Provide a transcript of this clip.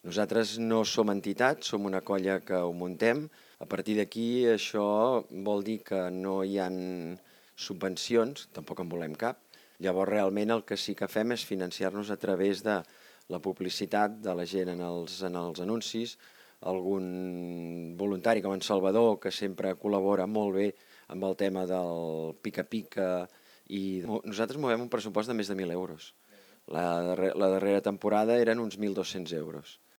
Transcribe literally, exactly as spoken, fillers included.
Nosaltres no som entitat, som una colla que ho muntem. A partir d'aquí això vol dir que no hi ha subvencions, tampoc en volem cap. Llavors realment el que sí que fem és financiar-nos a través de la publicitat de la gent en els, en els anuncis, algun voluntari com en Salvador, que sempre col·labora molt bé amb el tema del pica-pica, i nosaltres movem un pressupost de més de mil euros. La, darrera, la darrera temporada eren uns mil dos-cents euros.